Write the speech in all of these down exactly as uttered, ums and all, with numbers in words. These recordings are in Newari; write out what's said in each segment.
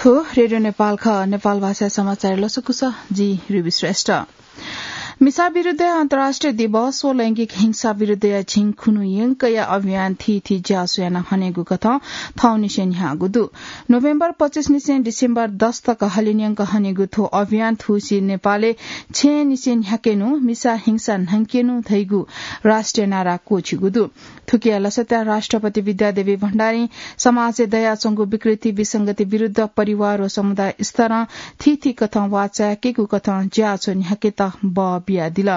थ्व रेडियो नेपाल खः। नेपाल भाषा समाचार लसकुस, जि रुबी श्रेष्ठ। मिसा विरुद्धया अन्तर्राष्ट्रिय दिवस व लैंगिक हिंसा विरुद्धया झिंखुन्हु यंकया अभियान थीथी ज्याझ्वः यानाः हनेगु कथं थौंनिसें न्ह्याःगु दु। नोभेम्बर पच्चिस निसें डिसेम्बर दस तक हलिंन्यंक हनेगु थ्व अभियान थुसी नेपालय् छेँनिसें न्ह्याकेनु, मिसा हिंसा न्हंकेनु धइगु राष्ट्रिय नारा क्वःछिगु दु। थुकिया लसताय् राष्ट्रपति विद्यादेवी भण्डारीं समाजय् दयाच्वंगु विकृति विसंगति विरुद्ध परिवार व समुदाय स्तरं थीथी कथं वाःचाय्‌केगु कथं ज्याझ्वः न्ह्याकेत बः बियादिल।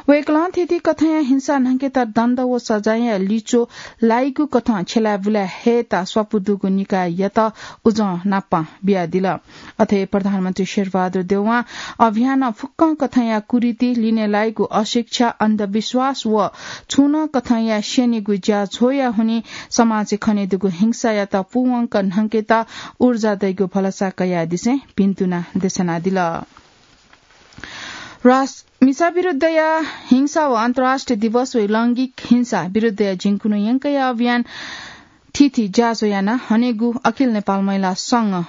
वय्‌कलं थीथी कथंया हिंसा न्हंकेत दण्ड व सजायया लिच्वः लाइगु कथं छ्यलाय्‌बुलाय् हयेत स्वापू दुगु निकाययात उजं नापं बियादिल। अथे प्रधानमन्त्री शेरबहादुर देउवां अभियानं फुक्कं कथंया कुरीति, लिने लाइगु अशिक्षा, अन्धविश्वास व छुं नं कथंया स्यनेगु ज्याझ्वःया हुनिं समाजय् खनेदुगु हिंसायात पूवंक न्हंकेत ऊर्जा दइगु भलसा कयादिसें भिन्तुना देछानादिल। रास-, मिसा विरुद्धया हिंसा व अन्तर्राष्ट्रिय दिवस व लैंगिक हिंसा विरुद्धया झिंखुन्हु यंकया अभियान थीथी ज्याझ्वः यानाः हनेगु अखिल नेपाल महिला संघ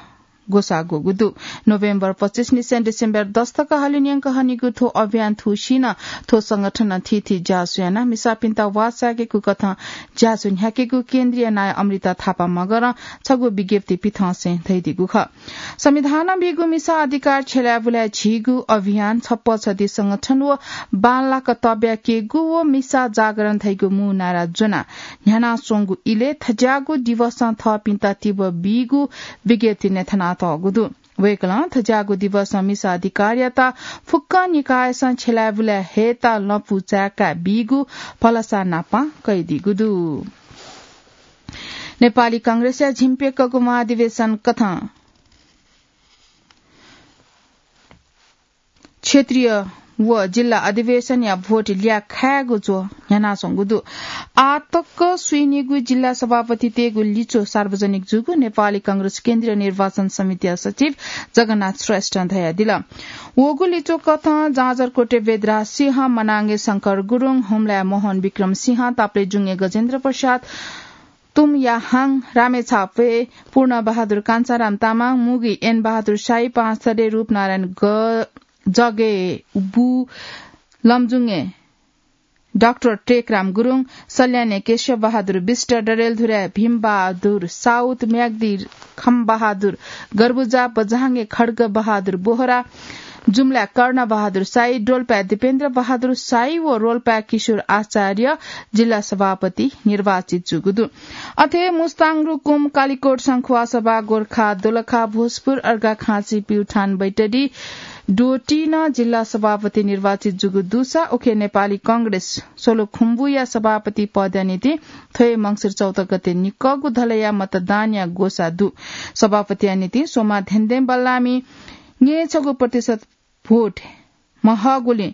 ग्वसाः ग्वःगु दु। नोभेम्बर पच्चिस निसें डिसेम्बर दस तक हलिंन्यंक हनेगु थ्व अभियान थुसी नं थ्व संगठनं थीथी ज्याझ्वः यानाः मिसापिन्त वाःचाय्‌केगु कथं ज्याझ्वः न्ह्याकेगु केन्द्रीय नायः अमृता थापा मगरं छगू विज्ञप्ति पिथंसें धयादीगु खः। संविधानं बीगु मिसा अधिकार छ्यलाय्‌बुलाय् झीगु अभियान छप्पा छधी संगठन व बांलाक तब्याकेगु व मिसा जागरण धइगु मू नारा ज्वनाः न्ह्यानाच्वंगु इलय् थज्याःगु दिवसं थःपिन्त तिबः बीगु विज्ञप्ति न्ह्यथनातःगु दु। वय्‌कलं थज्याःगु दिवसं मिसा अधिकारयात फुक्क निकायसं छ्यलाय्‌बुलाय् हयेत लँपु चाय्‌का बीगु भलसा नापं कयादीगु दु। नेपाली कांग्रेसया झिंप्यक्कःगु महाधिवेशन कथं क्षेत्रीय व जिल्ला अधिवेशनया भोट ल्याखायेगु च्वः न्ह्यानाच्वंगु दु। आः तक स्वीनिगू जिल्ला सभापतितय्‌गु लिच्वः सार्वजनिक जूगु नेपाली कांग्रेस केन्द्रीय निर्वाचन समितिया सचिव जगन्नाथ श्रेष्ठं धयादिल। वःगु लिच्वः कथं जाजरकोटय् वेदराज सिंह, मनाङय् शंकर गुरुङ, हुम्लाय् मोहन विक्रम सिंह, ताप्लेजुङय् गजेन्द्र प्रसाद, तुम्याहाङ, रामेछापय् पूर्ण बहादुर कान्छाराम तामाङ, मुगुय् एन बहादुर शाही, पाँचथरय् रूपनारायण ग-, जगे बु, लमजुङय् डाक्टर टेकराम गुरुङ, सल्यानय् केशव बहादुर विष्ट, डडेलधुराय् भीम बहादुर साउद, म्याग्दी खम बहादुर गर्बुजा, बझाङय् खड्ग बहादुर बोहरा, जुम्लाय् कर्ण बहादुर शाही, डोल्पाय् दीपेन्द्र बहादुर शाही व रोल्पाय् किशोर आचार्य जिल्ला सभापति निर्वाचित जूगु दु। अथे मुस्ताङ, रुकुम, कालिकोट, सङ्खुवासभा, गोरखा, दोलखा, भोजपुर, अर्घाखाँची, प्युठान, बैतडी, डोटी नं जिल्ला सभापति निर्वाचित जूगु दुसा उखे नेपाली कांग्रेस सोलुखुम्बुया सभापति पदया निंतिं थ्व हे मंसिर चौध गते निकःगु धलया मतदानया ग्वसाः दु। सभापतिया निंतिं स्वमा धेंधें बल्लामि न्यय्‌छगू प्रतिशत भोट महःगुलिं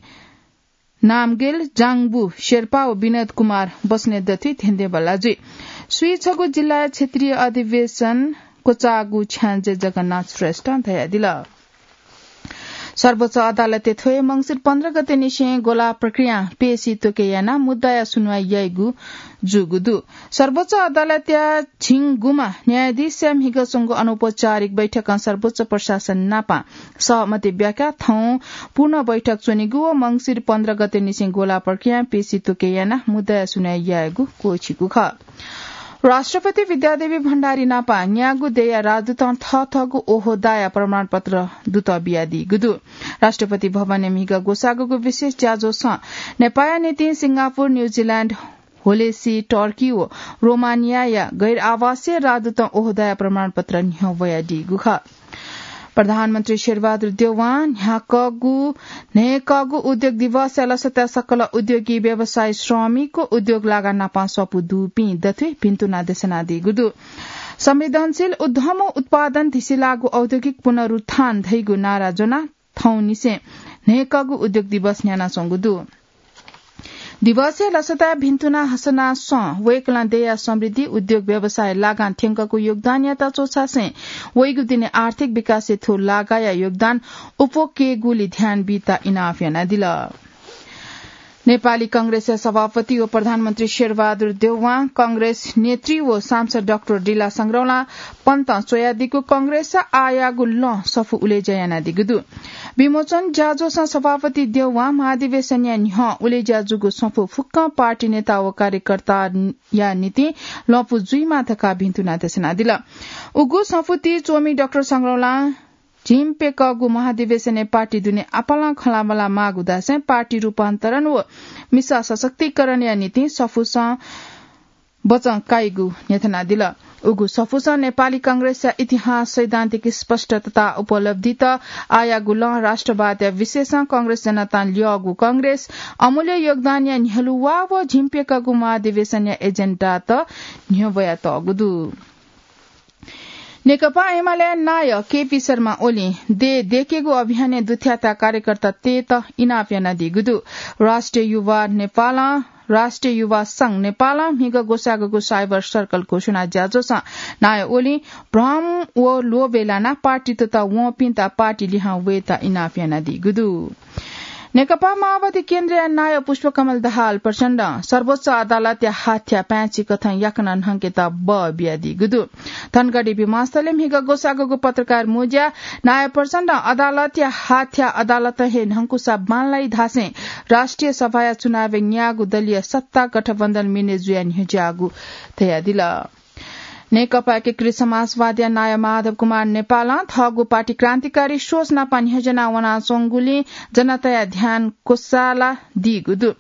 नामगेल, जाङबु शेर्पा व विनोद कुमार बस्नेत दथुइ धेंधें बल्लाः जुइ। स्वीछगू जिल्लाया क्षेत्रीय अधिवेशन क्वचाःगु छ्याञ्जे जगन्नाथ श्रेष्ठं धयादिल। सर्वोच्च अदालतय् थ्व हे मंसिर पन्ध्र गते निसें ग्वलाः प्रक्रियां पेशी त्वके यानाः मुद्दाया सुनुवाइ याइगु जूगु दु। सर्वोच्च अदालतया झिंगुम्ह न्यायाधीशया म्हिगः च्वंगु अनौपचारिक बैठकं सर्वोच्च प्रशासन नापं सहमति ब्याकाः थौं पूर्ण बैठक च्वनीगु व मंसिर पन्ध्र गते निसें ग्वलाः प्रक्रियां पेशी त्वके यानाः मुद्दाया सुनुवाइ यायेगु क्वःछिगु खः। राष्ट्रपति विद्यादेवी भण्डारी नापं न्यागू देय्‌या राजदूतं थःथःगु ओहदाया प्रमाणपत्र दूत बियादीगु दु। राष्ट्रपति भवनय् म्हिगः ग्वसाःगु विशेष ज्याझ्वलय् नेपाःया निंतिं सिंगापुर, न्यूजिल्याण्ड, होलेसी, टर्की व रोमानियाया गैर आवासीय राजदूतं ओहदाया प्रमाणपत्र न्ह्यब्वयादीगु खः। प्रधानमन्त्री शेरबहादुर देउवां न्ह्याकःगु, न्हय्‌कःगु उद्योग दिवसया लसताय् सकल उद्योगी, व्यवसायी, श्रमिक व उद्योग लागा नापं स्वापू दुपिं दथुइ भिन्तुना देछानादीगु दु। संवेदनशील उद्यम व उत्पादन धिसिलाःगु औद्योगिक पुनरुत्थान धइगु नारा ज्वनाः थौंनिसें न्हय्‌कःगु उद्योग दिवस न्ह्यानाच्वंगु दु। दिवसया लसताय् भिन्तुना हसनाः स्वं वय्‌कलं देय्‌या समृद्धि, उद्योग व्यवसाय लागां थ्यंकःगु योगदानयात च्वछासें वइगु दिनय् आर्थिक विकासय् थ्व लागाया योगदान अप्वः कयेगुलि ध्यान बीत इनाप यानादिल। नेपाली कांग्रेसया सभापति व प्रधानमन्त्री शेरबहादुर देउवां, कांग्रेस नेतृ व सांसद डाक्टर डिला संग्रौलां पन्तं च्वयादीगु कांग्रेसया आःयागु लँ सफू उलेज्या यानादीगु दु। विमोचन ज्याझ्वलय् सभापति देउवां महाधिवेशनया न्ह्यः उलेज्या जूगु सफू फुक्कं पार्टी नेता व कार्यकर्ताया निंतिं लँपु जुइमा धकाः भिन्तुना देछानादिल। उगु सफूति च्वमि डाक्टर संग्रौलां झिंप्यकःगु महाधिवेशनय् पार्टी दुने आपालं खँल्हाबल्हा माःगु धासें पार्टी रूपान्तरण व मिसा सशक्तिकरणया निंतिं सफूसं बचं काइगु न्ह्यथनादिल। उगु सफूसं नेपाली कांग्रेसया इतिहास, सैद्धान्तिक स्पष्ट तथा उपलब्धित, आःयागु लँ, राष्ट्रवादया विशेषं कांग्रेस जनतां ल्यःगु कांग्रेस, अमूल्य योगदानया न्ह्यलुवा व झिंप्यकःगु महाधिवेशनया एजेन्डात न्ह्यब्वयातःगु दु। नेकपा एमाले नायः केपी शर्मा ओलीं देय् देकेगु अभियानय् दुथ्याःता कार्यकर्तातय्त इनाप यानादीगु दु। राष्ट्रिय युवा नेपालं, राष्ट्रिय युवा संघ नेपालं म्हिगः ग्वसाःगु साइबर सर्कल घोषणा ज्याझ्वलय् नायः ओलीं भ्रम व लोभय् लानाः पार्टी तता वंपिन्त पार्टी लिहां वयेता इनाप यानादीगु दु। नेकपा माओवादी केन्द्रया नायः पुष्पकमल दाहाल प्रचण्डं सर्वोच्च अदालतया हाथ्या पाय्छि कथं याकनं न्हंकेत बः बियादीगु दु। धनगढी विमानस्थलय् म्हिगः ग्वसाःगु पत्रकार मुँज्यां नायः प्रचण्डं अदालतया हाथ्या अदालतं हे न्हंकुसा बांलाइ धासें राष्ट्रिय सभाया चुनावय् न्याःगु दलीय सत्ता गठबन्धन मिने जुया न्ह्यज्याःगु धयादिल। नेकपा एकीकृत समाजवादीया नायः माधव कुमार नेपालं थःगु पार्टी क्रान्तिकारी सोच नाप न्ह्यज्याना वनाच्वंगुलिं जनताया ध्यान क्वसाला दीगु दु।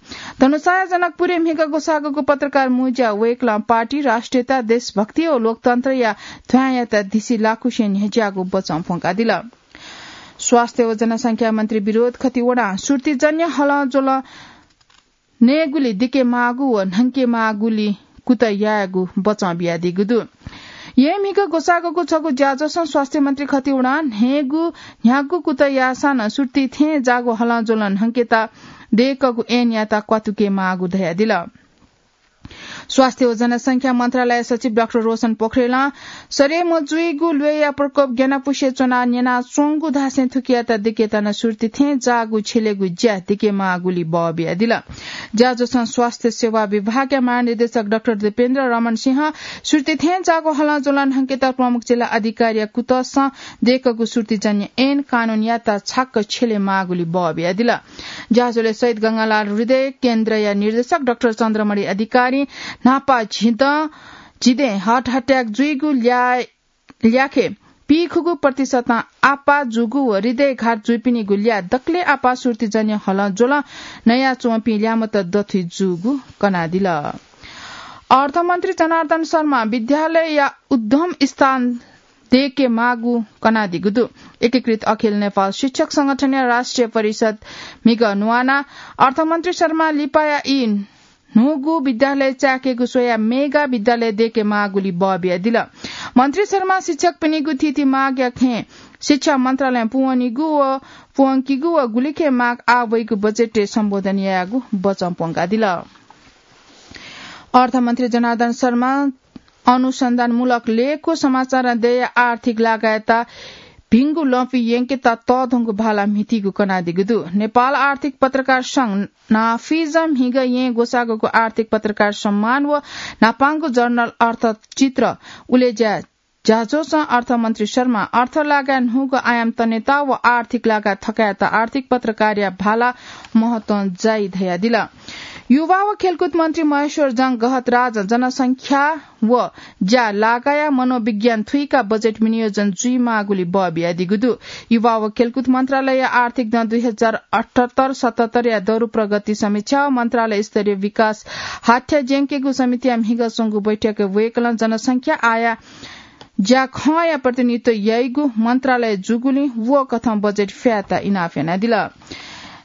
धनुषाया जनकपुरय् म्हिगः ग्वसाःगु पत्रकार मुँज्यां वय्कलं पार्टी, राष्ट्रियता, देशभक्ति व लोकतन्त्रया ध्वाँयात दिसि लाकुसें न्ह्यज्याःगु बचं प्वंकादिल। स्वास्थ्य व जनसंख्या मन्त्री विनोद खतिवडां सुर्तीजन्य हलंज्वलं नयेगुली दिके माःगु व न्हंके माःगुली कुतः यायेगु बचं बियादीगु दु। येँ म्हिगः ग्वसाःगु छगू ज्याझ्वलं स्वास्थ्य मन्त्री खतिवडां न्हयेगु न्ह्यागु कुतः याःसां नं सुर्ती थें जाःगु हलंज्वलं न्हंकेत दयेकूगु ऐनयात क्वातुके माःगु धयादिल। स्वास्थ्य व जनसंख्या मन्त्रालय सचिव डाक्टर रोशन पोखरेलं सरे मजुइगु ल्वय्या प्रकोप ग्यानापुसे च्वनाः न्यनाच्वंगु धासें थुकियात दिकेत नं सुर्ती थें जाःगु छ्यलेगु ज्या दिके माःगुली बः बियादिल। ज्याझ्वलं स्वास्थ्य सेवा विभागया महानिर्देशक डाक्टर दीपेन्द्र रमण सिंहं सुर्ती थें जाःगु हलंज्वलं न्हंकेत प्रमुख जिल्ला अधिकारीया कुतसं दयेकूगु सुर्तीजन्य ऐन कानूनयात छाक्क छ्यले माःगुली बः बियादिल। ज्याझ्वलय् शहीद गंगालाल हृदय केन्द्रया निर्देशक डाक्टर चन्द्रमणि अधिकारी, न्हापा झिदँ, झिदँय् heart attack जुइगु ल्या, ल्याखय् पीखुगू प्रतिशतं आपाः जूगु व हृदयघात जुइपिनिगु ल्या दकलय् आपाः सुर्तीजन्य हलंज्वलं नयाच्वंपिं ल्यामत दथुइ जूगु कनादिल। अर्थमन्त्री जनार्दन शर्मां विद्यालयया उद्यम स्थान दयेके माःगु कनादीगु दु। एकीकृत अखिल नेपाल शिक्षक संगठनया राष्ट्रिय परिषद म्हिगः न्हुवानाः अर्थमन्त्री शर्मां लिपाया ई न्हूगु विद्यालय चाय्केगु स्वयाः मेगा विद्यालय दयेके माःगुली बः बियादिल। मन्त्री शर्मां शिक्षकपिनिगु थीथी मागया खँय् शिक्षा मन्त्रालयं पूवनीगु व पूवंकीगु व गुलिखे माग आः वइगु बजेटय् सम्बोधन यायेगु बचं प्वंकादिल। अर्थमन्त्री जनार्दन शर्मां अनुसन्धानमूलक लेखय् समाचारं देय्या आर्थिक लागायात भिंगु लँपु यंकेत तःधंगु भाला म्हितीगु कनादीगु दु। नेपाल आर्थिक पत्रकार संघ नाफिजं म्हिगः येँ ग्वसाःगु आर्थिक पत्रकार सम्मान व न्हापांगु जर्नल अर्थचित्र उलेज्या ज्याझ्वलं अर्थमन्त्री शर्मां अर्थ लागाय् न्हूगु आयाम तनेत व आर्थिक लागाय् थकायेत आर्थिक पत्रकारया भाला महत्वं जाइ धयादिल। युवा व खेलकुद मन्त्री महेश्वर जंग गहतराजं जनसंख्या व ज्या लागाया मनोविज्ञान थुइकाः बजेट विनियोजन जुइमाःगुली बः बियादीगु दु। युवा व खेलकुद मन्त्रालयया आर्थिक दँ दुई हजार अठहत्तर सतहत्तरया दरु प्रगति समीक्षा व मन्त्रालय स्तरीय विकास हाथ्या ज्यंकेगु समितिया म्हिगः च्वंगु बैठकय् वय्कलं जनसंख्या, आया ज्याखँया प्रतिनिधित्व याइगु मन्त्रालय जूगुलिं व कथं बजेट फ्यायेत इनाप यानादिल।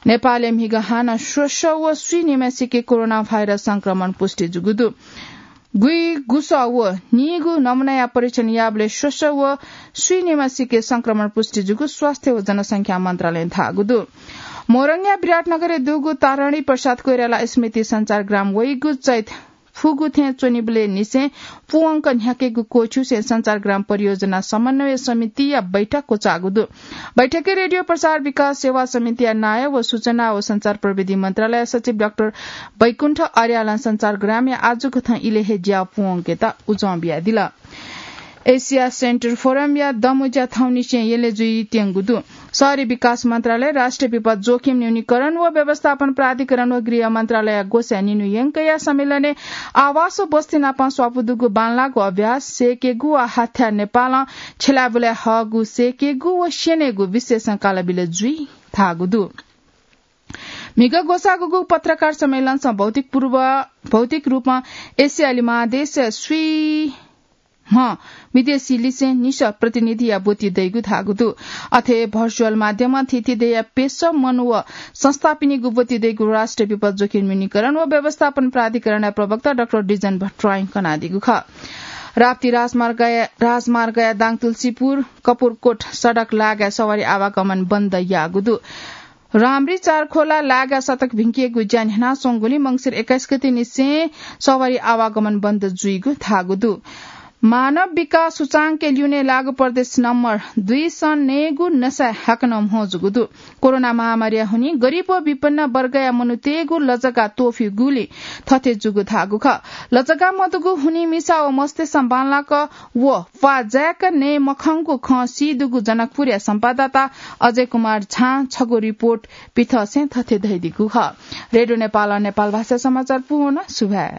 नेपालय् म्हिगः हानं स्वसः व स्वीनिम्हय्सिके कोरोना भाइरस संक्रमण पुष्टि जूगु दु। गुइगुसः व नीगू नमुनाया परीक्षण याःबलय् स्वसः व स्वीनिम्हय्सिके संक्रमण पुष्टि जूगु स्वास्थ्य व जनसंख्या मन्त्रालयं धाःगु दु। मोरङया विराटनगरय् दुगु तारणी प्रसाद कोइराला स्मृति सञ्चारग्राम वइगु चैत पुगु थें च्वनीबलय् निसें पूवंक न्ह्याकेगु क्वःछिउसें सञ्चारग्राम परियोजना समन्वय समितिया बैठक क्वचाःगु दु। बैठकय् रेडियो प्रसार विकास सेवा समितिया नायः व सूचना व सञ्चार प्रविधि मन्त्रालय सचिव डाक्टर बैकुण्ठ अर्यालं सञ्चारग्रामया आजुकथं इलय् हे ज्या पूवंकेत उजं बियादिल। एसिया सेन्टर फोरमया दमुज्या थौंनिसें यलय् जुइत्यंगु दु। शहरी विकास मन्त्रालय, राष्ट्रिय विपद जोखिम न्यूनीकरण व व्यवस्थापन प्राधिकरण व गृह मन्त्रालय ग्वसाः निन्हु यंकया सम्मेलनय् आवास व बस्ती नाप स्वापू दुगु बांलाःगु अभ्यास, सेकेगु व हाथ्या नेपालं छ्यलाबुलाय् हःगु सेकेगु व स्यनेगु विषयसं कालाबिल जुइ धाःगु दु। म्हिगः ग्वसाःगु पत्रकार सम्मेलनसं भौतिक पूर्व, भौतिक रूपं एसियाली महादेश स्वीम्ह विदेशी लिसें निसः प्रतिनिधिया ब्वति दइगु धाःगु दु। अथे भर्चुअल माध्यमं थीथी देय्‌या पेसः मनू व संस्थापिनिगु ब्वति दइगु राष्ट्रिय विपद जोखिम न्यूनीकरण व व्यवस्थापन प्राधिकरणया प्रवक्ता डाक्टर डिजन भट्टराईं कनादीगु खः। राप्ती राजमार्गया, राजमार्गया दाङतुलसीपुर कपुरकोट सडक लागाय् सवारी आवागमन बन्द याःगु दु। राम्री चारखोला लागा सतक भिंकेगु ज्या न्ह्यानाच्वंगुलिं मंसिर एक्काइस गते निसें सवारी आवागमन बन्द जुइगु धाःगु दु। मानव विकास सूचांकय् ल्यूने लाःगु प्रदेश नम्बर दुइसं नयेगु नसाय् हाकनं म्हो जूगु दु। कोरोना महामारीया हुनिं गरिब व विपन्न वर्गया मनूतय्‌गु लजगा त्वःफिगुलिं थथे जूगु धाःगु खः। लजगा मदुगु हुनिं मिसा व मस्तय्‌सं बांलाक व प्वाः जाय्‌क नये मखंगु खँ सी दुगु जनकपुरया संवाददाता अजय कुमार झां छगू रिपोर्ट पिथंसें थथे धयादीगु खः। रेडियो नेपालं नेपाल भाषा समाचार पूवन। सुभाय्।